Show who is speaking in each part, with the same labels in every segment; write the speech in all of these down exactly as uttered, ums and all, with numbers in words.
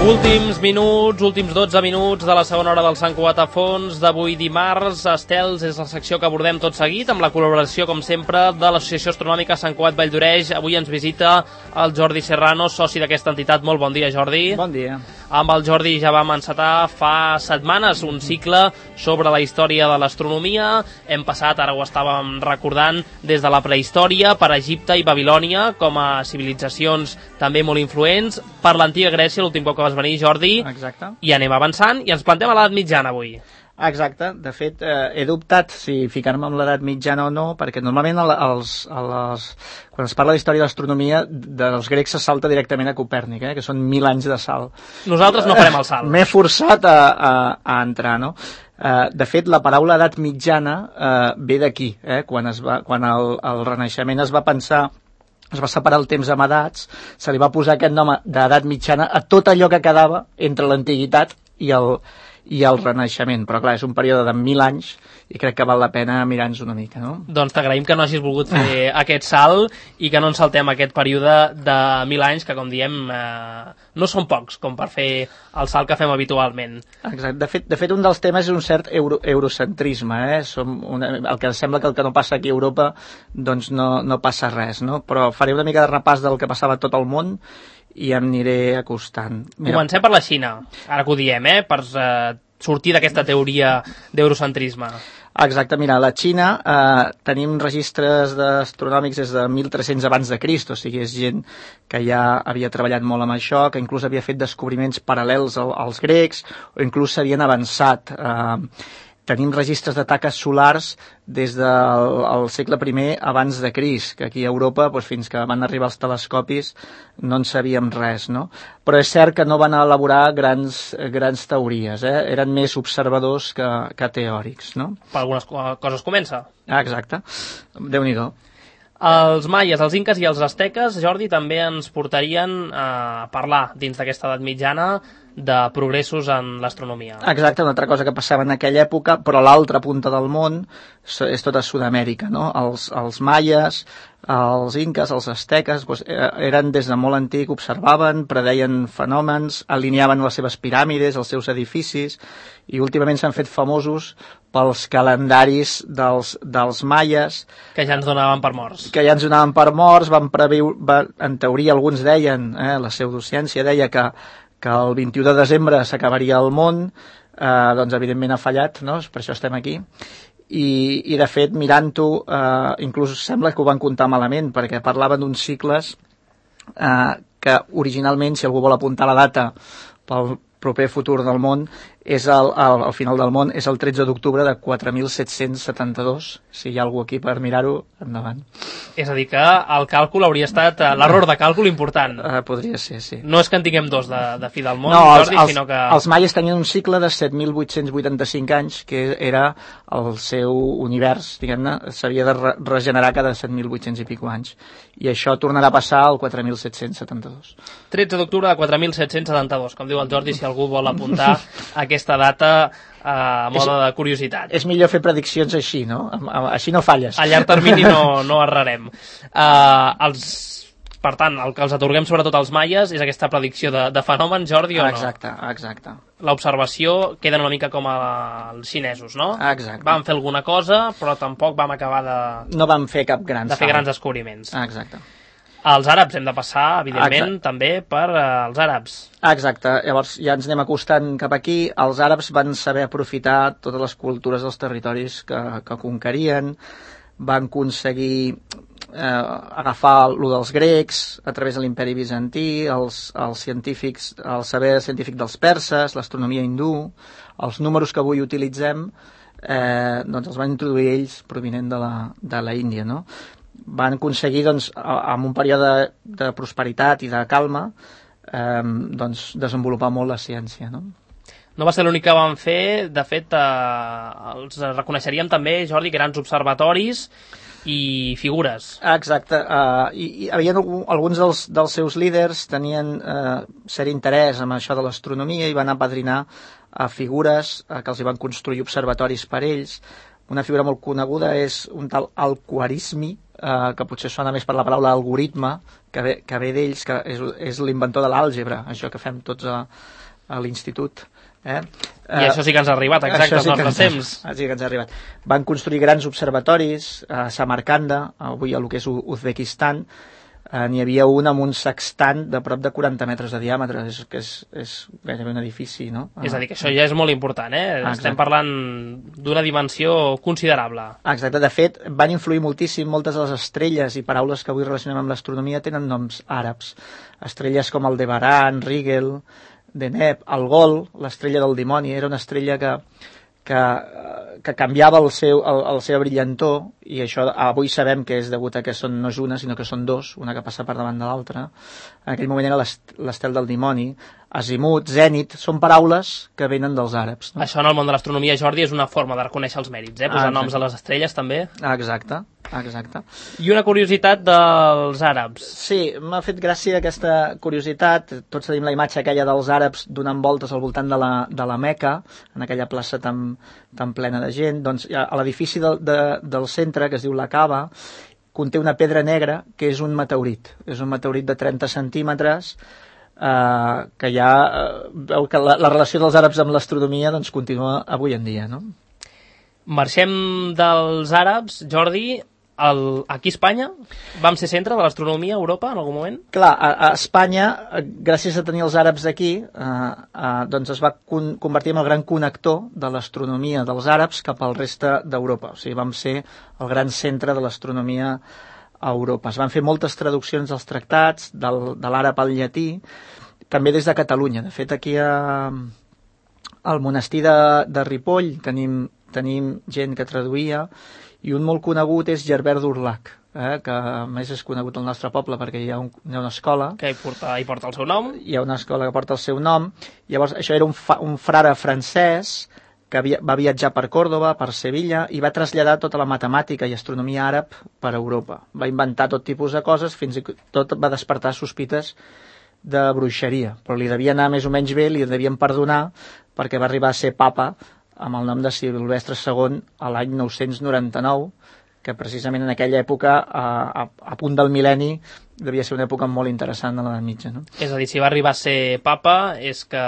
Speaker 1: Últims minuts, últims dotze minuts de la segona hora del Sant Cugat a Fons d'avui dimarts. Estels és la secció que abordem tot seguit amb la col·laboració, com sempre, de l'Associació Astronòmica Sant Cugat Vall d'Oreix. Avui ens visita el Jordi Serrano, soci d'aquesta entitat. Molt bon dia, Jordi.
Speaker 2: Bon dia.
Speaker 1: Amb el Jordi ja vam encetar fa setmanes un cicle sobre la història de l'astronomia. Hem passat, ara ho estàvem recordant, des de la prehistòria per Egipte i Babilònia com a civilitzacions també molt influents, per l'antiga Grècia, l'últim cop que vas venir, Jordi.
Speaker 2: Exacte.
Speaker 1: I anem avançant i ens plantem a l'edat mitjana avui.
Speaker 2: Exacte. De fet, eh, he dubtat si ficar-me amb l'edat mitjana o no, perquè normalment a les, a les, quan es parla d'història de l'astronomia, dels grecs se salta directament a Copèrnic, eh, que són mil anys de salt.
Speaker 1: Nosaltres no farem el salt.
Speaker 2: M'he forçat a, a, a entrar, no? Uh, de fet, la paraula edat mitjana uh, ve d'aquí, eh? Quan, es va, quan el, el Renaixement es va pensar, es va separar el temps amb edats, se li va posar aquest nom d'edat mitjana a tot allò que quedava entre l'antiguitat i el, i el Renaixement. Però clar, és un període de mil anys i crec que val la pena mirar-nos una mica, no?
Speaker 1: Doncs t'agraïm que no hagis volgut fer aquest salt i que no ens saltem aquest període de mil anys, que com diem eh, no són pocs com per fer el salt que fem habitualment.
Speaker 2: Exacte. De fet, de fet un dels temes és un cert euro, eurocentrisme, eh? Som una, el que sembla que el que no passa aquí a Europa doncs no, no passa res, no? Però faré una mica de repàs del que passava a tot el món i em aniré acostant. Mira.
Speaker 1: Comencem per la Xina, ara que ho diem, eh? Per eh, sortir d'aquesta teoria d'eurocentrisme.
Speaker 2: Exacte, mira, a la Xina eh, tenim registres astronòmics des de mil tres-cents abans de Crist, o sigui, és gent que ja havia treballat molt amb això, que inclús havia fet descobriments paral·lels al, als grecs, o inclús s'havien avançat. Eh, tenim registres de taques solars des del el segle primer abans de Crist, que aquí a Europa, doncs, fins que van arribar els telescopis, no en sabíem res, no? Però és cert que no van elaborar grans, grans teories, eh? Eren més observadors que, que teòrics, no?
Speaker 1: Per algunes coses comença.
Speaker 2: Ah, exacte. Déu-n'hi-do.
Speaker 1: Els maies, els inques i els asteques, Jordi, també ens portarien a parlar dins d'aquesta edat mitjana de progressos en l'astronomia.
Speaker 2: Exacte, una altra cosa que passava en aquella època, però l'altra punta del món és tota Sud-amèrica, no? Els, els maies, els inques, els asteques, doncs, eren des de molt antic, observaven, predeien fenòmens, alineaven les seves piràmides, els seus edificis, i últimament s'han fet famosos pels calendaris dels, dels maies.
Speaker 1: Que ja ens donaven per morts.
Speaker 2: Que ja ens donaven per morts, van previure, va, en teoria alguns deien, eh, la pseudociència deia que que el vint-i-u de desembre s'acabaria el món, eh, doncs evidentment ha fallat, no? Per això estem aquí. I, i de fet, mirant-ho, eh, inclús sembla que ho van comptar malament, perquè parlaven d'uns cicles eh, que originalment, si algú vol apuntar la data pel proper futur del món, és el, el, el final del món és el tretze d'octubre de quatre mil set-cents setanta-dos. Si hi ha algú aquí per mirar-ho, endavant.
Speaker 1: És a dir, que el càlcul hauria estat l'error de càlcul important.
Speaker 2: Uh, podria ser, sí.
Speaker 1: No és que en tinguem dos de, de fi del món,
Speaker 2: no,
Speaker 1: Jordi,
Speaker 2: els,
Speaker 1: sinó que...
Speaker 2: Els maies tenien un cicle de set mil vuit-cents vuitanta-cinc anys, que era el seu univers, diguem-ne, s'havia de re regenerar cada set mil vuit-cents i pico anys. I això tornarà a passar al quatre mil set-cents setanta-dos.
Speaker 1: tretze d'octubre de quatre mil set-cents setanta-dos, com diu el Jordi, si algú vol apuntar aquesta data a mode de curiositat.
Speaker 2: És millor fer prediccions així, no? Així no falles.
Speaker 1: A llarg termini no, no errarem. Uh, els, per tant, el que els atorguem sobretot als maies és aquesta predicció de, de fenòmens, Jordi, o no?
Speaker 2: Exacte, exacte.
Speaker 1: L'observació queda una mica com els xinesos, no?
Speaker 2: Exacte.
Speaker 1: Vam fer alguna cosa, però tampoc vam acabar de...
Speaker 2: No vam fer cap gran
Speaker 1: de fer grans descobriments.
Speaker 2: Exacte.
Speaker 1: Els àrabs hem de passar, evidentment,
Speaker 2: Exacte.
Speaker 1: també per uh, els àrabs.
Speaker 2: Exacte. Llavors ja ens anem acostant cap aquí. Els àrabs van saber aprofitar totes les cultures dels territoris que, que conquerien, van aconseguir eh, agafar lo dels grecs a través de l'imperi bizantí, els, els científics, el saber científic dels perses, l'astronomia hindú, els números que avui utilitzem, eh, doncs els van introduir ells provinent de la, de la Índia, no? Van aconseguir, doncs, amb un període de prosperitat i de calma, eh, doncs, desenvolupar molt la ciència, no?
Speaker 1: No va ser l'únic que van fer, de fet, eh, els reconeixeríem també, Jordi, grans observatoris i figures.
Speaker 2: Exacte, uh, i, i havia alguns dels, dels seus líders tenien uh, cert interès en això de l'astronomia i van apadrinar a figures uh, que els hi van construir observatoris per ells. Una figura molt coneguda és un tal Al-Khwarizmi, eh, que potser sona més per la paraula algoritme, que ve, que ve d'ells, que és, és l'inventor de l'àlgebra, això que fem tots a, a l'institut. Eh?
Speaker 1: I uh, això sí que ens ha arribat, exacte,
Speaker 2: sí
Speaker 1: als nostres temps.
Speaker 2: Sí que ens ha arribat. Van construir grans observatoris a Samarcanda, avui a lo que és Uzbekistan. Uh, n'hi havia un amb un sextant de prop de quaranta metres de diàmetre, és, que és, és gairebé un edifici, no?
Speaker 1: És a dir, que això ja és molt important, eh? Ah, estem parlant d'una dimensió considerable.
Speaker 2: Exacte, de fet, van influir moltíssim, moltes de les estrelles i paraules que avui relacionem amb l'astronomia tenen noms àrabs. Estrelles com el Debaran, Rigel, Deneb, el Gol, l'estrella del dimoni, era una estrella que, que, que canviava el seu, el, el seva brillantor, i això avui sabem que és degut a que són, no és una, sinó que són dos, una que passa per davant de l'altra. En aquell moment era l'estel del dimoni. Azimut, Zènit, són paraules que venen dels àrabs. No?
Speaker 1: Això en el món de l'astronomia, Jordi, és una forma de reconèixer els mèrits, eh? Posar ah, noms a les estrelles, també.
Speaker 2: Exacte, exacte.
Speaker 1: I una curiositat dels àrabs.
Speaker 2: Sí, m'ha fet gràcia aquesta curiositat. Tots tenim la imatge aquella dels àrabs donant voltes al voltant de la, de la Meca, en aquella plaça tan, tan plena de gent. Doncs a l'edifici de, de, del centre, que es diu la Cava, conté una pedra negra que és un meteorit. És un meteorit de trenta centímetres, Uh, que ja uh, veu que la, la relació dels àrabs amb l'astronomia doncs continua avui en dia, no?
Speaker 1: Marxem dels àrabs, Jordi, el, aquí a Espanya vam ser centre de l'astronomia a Europa en algun moment?
Speaker 2: Clar, a, a Espanya, gràcies a tenir els àrabs aquí, uh, uh, doncs es va con convertir en el gran connector de l'astronomia dels àrabs cap al reste d'Europa. O sigui, vam ser el gran centre de l'astronomia a Europa. Es van fer moltes traduccions dels tractats, del, de l'àrab al llatí, també des de Catalunya. De fet, aquí a, al monestir de, de Ripoll tenim, tenim gent que traduïa, i un molt conegut és Gerbert d'Urlac, eh, que a més és conegut al nostre poble perquè hi ha, un, hi ha una escola.
Speaker 1: Que hi porta, hi porta el seu nom.
Speaker 2: Hi ha una escola que porta el seu nom. Llavors, això era un, fa, un frare francès que havia, va viatjar per Còrdova, per Sevilla, i va traslladar tota la matemàtica i astronomia àrab per Europa. Va inventar tot tipus de coses, fins i tot va despertar sospites de bruixeria, però li devia anar més o menys bé, li devien perdonar, perquè va arribar a ser papa amb el nom de Silvestre segon a l'any nou-cents noranta-nou, que precisament en aquella època, a, a, a punt del mil·lenni, devia ser una època molt interessant a l'edat mitja. No?
Speaker 1: És a dir, si va arribar a ser papa, és que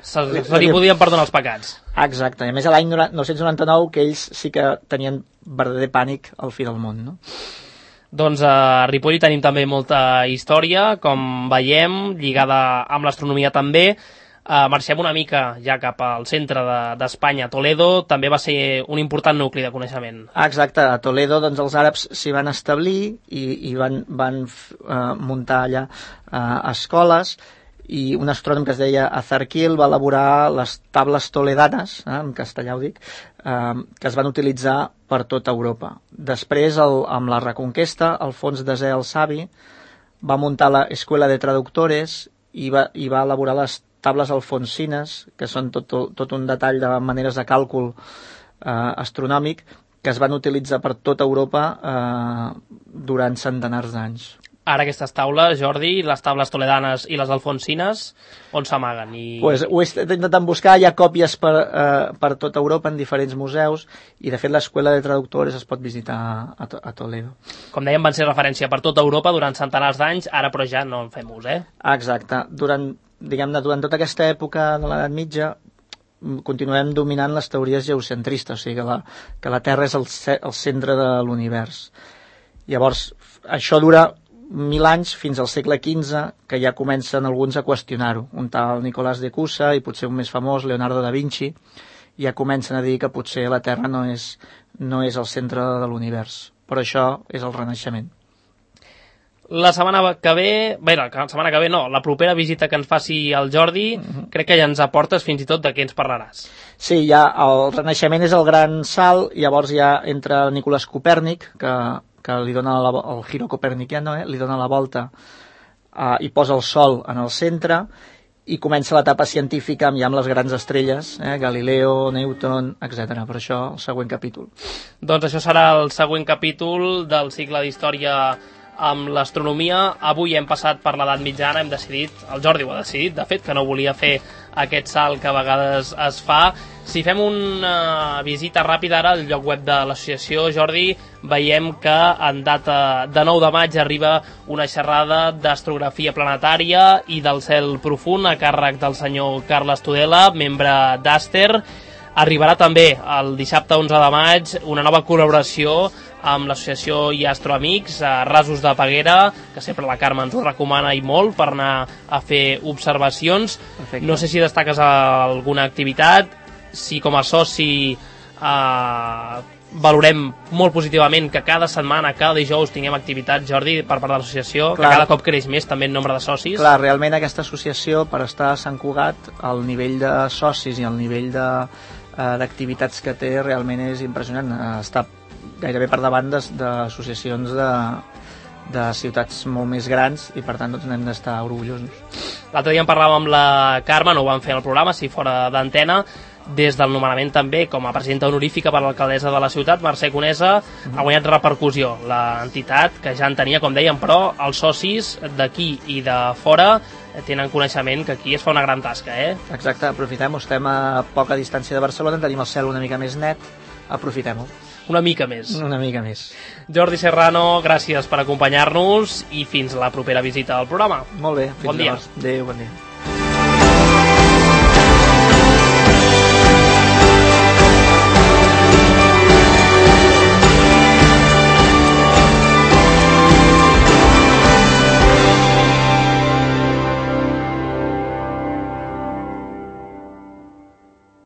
Speaker 1: se, se li podien perdonar els pecats.
Speaker 2: Exacte, i a més a l'any nou-cents noranta-nou que ells sí que tenien verdader pànic al fi del món, no?
Speaker 1: Doncs a Ripoll tenim també molta història, com veiem, lligada amb l'astronomia també. Uh, marxem una mica ja cap al centre d'Espanya. De, Toledo també va ser un important nucli de coneixement.
Speaker 2: Exacte, a Toledo doncs, els àrabs s'hi van establir i, i van, van uh, muntar allà uh, escoles, i un astrònom que es deia Azarquil va elaborar les tables toledanes, eh, en castellà ho dic, eh, que es van utilitzar per tota Europa. Després, el, amb la Reconquesta, Alfons Desè el Savi va muntar la Escuela de Traductores i va, i va elaborar les tables alfonsines, que són tot, tot un detall de maneres de càlcul eh, astronòmic, que es van utilitzar per tota Europa eh, durant centenars d'anys.
Speaker 1: Ara aquestes taules, Jordi, les tables toledanes i les alfonsines, on s'amaguen? I...
Speaker 2: Pues ho he intentat buscar, hi ha còpies per, eh, per tota Europa en diferents museus, i de fet l'Escuela de Traductores es pot visitar a, a Toledo.
Speaker 1: Com dèiem, van ser referència per tota Europa durant centenars d'anys, ara però ja no en fem ús, eh?
Speaker 2: Exacte. Durant, diguem-ne, durant tota aquesta època de l'edat mitja continuem dominant les teories geocentristes, o sigui que la, que la Terra és el, el centre de l'univers. Llavors, això dura mil anys fins al segle quinze, que ja comencen alguns a qüestionar-ho. Un tal Nicolás de Cusa i potser un més famós, Leonardo da Vinci, ja comencen a dir que potser la Terra no és, no és el centre de l'univers. Però això és el Renaixement.
Speaker 1: La setmana que ve, bé, la setmana que ve no, la propera visita que ens faci el Jordi, uh-huh. crec que ja ens aportes fins i tot de què ens parlaràs.
Speaker 2: Sí, ja el Renaixement és el gran salt, llavors ja entra Nicolás Copèrnic, que que li dona la, el giro coperniciano, eh? li dona la volta eh, i posa el Sol en el centre, i comença l'etapa científica amb, ja amb les grans estrelles, eh? Galileo, Newton, etcètera. Per això el següent capítol.
Speaker 1: Doncs això serà el següent capítol del cicle d'història amb l'astronomia. Avui hem passat per l'edat mitjana, hem decidit, el Jordi ho ha decidit, de fet, que no volia fer aquest salt que a vegades es fa. Si fem una visita ràpida ara al lloc web de l'associació, Jordi, veiem que en data de nou de maig arriba una xerrada d'astrografia planetària i del cel profund a càrrec del senyor Carles Tudela, membre d'Aster. Arribarà també el dissabte onze de maig una nova col·laboració amb l'associació i Astroamics a Rasos de Peguera, que sempre la Carme ens ho recomana i molt per anar a fer observacions. Perfecte. No sé si destaques alguna activitat, si com a soci eh, valorem molt positivament que cada setmana, cada dijous tinguem activitat, Jordi, per part de l'associació, que cada cop creix més també en nombre de socis.
Speaker 2: Clar, realment aquesta associació, per estar a Sant Cugat, el nivell de socis i el nivell de d'activitats que té realment és impressionant. Està gairebé per davant d'associacions de, de ciutats molt més grans i per tant doncs n'hem d'estar orgullosos.
Speaker 1: L'altre dia en parlàvem amb la Carme, no ho vam fer al programa, si fora d'antena, des del nomenament també com a presidenta honorífica per l'alcaldessa de la ciutat, Mercè Conesa, ha guanyat repercussió l'entitat, que ja en tenia, com dèiem, però els socis d'aquí i de fora tenen coneixement que aquí es fa una gran tasca, eh?
Speaker 2: Exacte, aprofitem-ho, estem a poca distància de Barcelona, tenim el cel una mica més net, aprofitem-ho.
Speaker 1: Una mica més.
Speaker 2: Una mica més.
Speaker 1: Jordi Serrano, gràcies per acompanyar-nos i fins la propera visita al programa.
Speaker 2: Molt bé, fins
Speaker 1: bon dia.
Speaker 2: Adéu, bon dia.